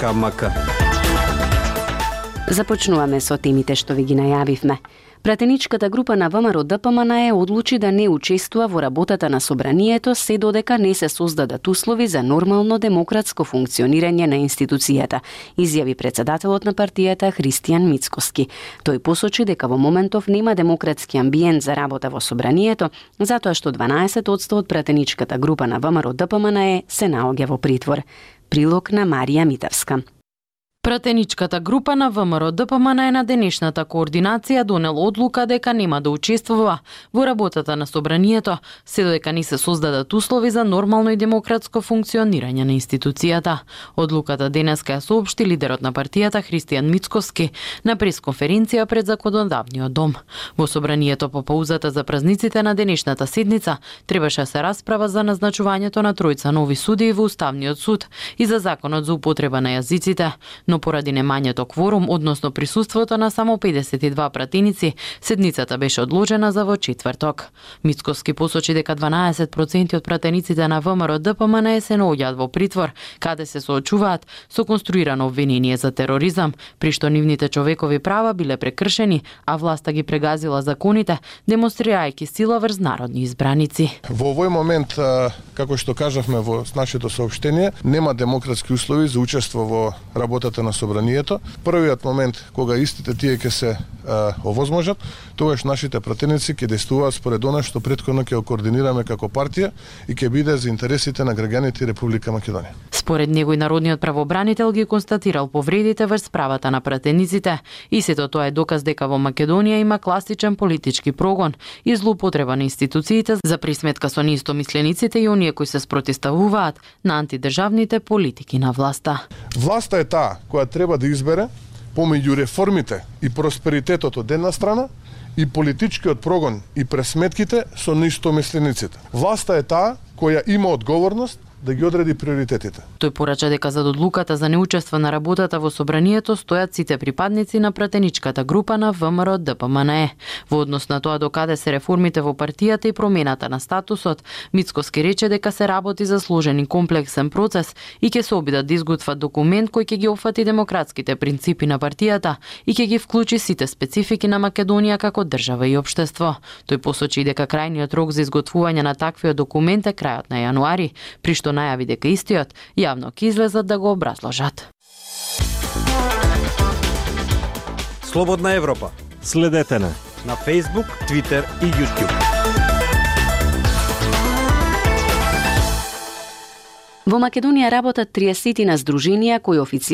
КМК. Започнуваме со темите што ви ги најавивме. Пратеничката група на ВМРО-ДПМНЕ одлучи да не учествува во работата на собранието се додека не се создадат услови за нормално демократско функционирање на институцијата, изјави председателот на партијата Христијан Мицкоски. Тој посочи дека во моментов нема демократски амбиент за работа во собранието, затоа што 12% од пратеничката група на ВМРО-ДПМНЕ се наоѓа во притвор. Прилог на Марија Митевска. Пратеничката група на ВМРО-ДПМНЕ на денешната координација донела одлука дека нема да учествува во работата на собранието, се додека не се создадат услови за нормално и демократско функционирање на институцијата. Одлуката денеска ја соопшти лидерот на партијата Христијан Мицкоски на пресконференција пред Законодавниот дом. Во собранието по паузата за празниците на денешната седница требаше да се расправа за назначувањето на тројца нови судии во Уставниот суд и за законот за употреба на јазиците. Но поради немањето кворум, односно присуството на само 52 пратеници, седницата беше одложена за во четврток. Мицкоски посочи дека 12% од пратениците на ВМРО-ДПМНЕ се наоѓаат во притвор, каде се соочуваат со конструирано обвинение за тероризам, при што нивните човекови права биле прекршени, а власта ги прегазила законите, демонстрирајќи сила врз народни избраници. Во овој момент, како што кажавме во нашето соопштение, нема демократски услови за учество во работата на собранието. Првиот момент кога истите тие ќе се овозможат, тогаш нашите пратеници ќе действуваат според она што претходно ќе координираме како партија и ќе биде за интересите на граѓаните Република Македонија. Според него и народниот правобранител ги констатирал повредите врз правата на пратениците и сето тоа е доказ дека во Македонија има класичен политички прогон и злоупотреба на институциите за присметка со неистомислениците и оние кои се спротивставуваат на антидржавните политики на власта. Власта е таа која треба да избере помеѓу реформите и просперитетот од една страна и политичкиот прогон и пресметките со неистомислениците. Власта е таа која има одговорност да ги одреди приоритетите. Тој порача дека за одлуката за неучество на работата во собранието стојат сите припадници на пратеничката група на ВМРО-ДПМНЕ. Во однос на тоа докаде се реформите во партијата и промената на статусот, Мицкоски рече дека се работи за сложен и комплексен процес и ќе се обидат да изготват документ кој ќе ги опфати демократските принципи на партијата и ќе ги вклучи сите специфики на Македонија како држава и општество. Тој посочи дека крајниот рок за изготвување на таквиот документ е крајот на јануари, при што најави дека истиот јавно ќе излезат да го образложат. Слободна Европа. Следете на Facebook, Twitter и YouTube. Во Македонија работат 30 на здруженија кои официјално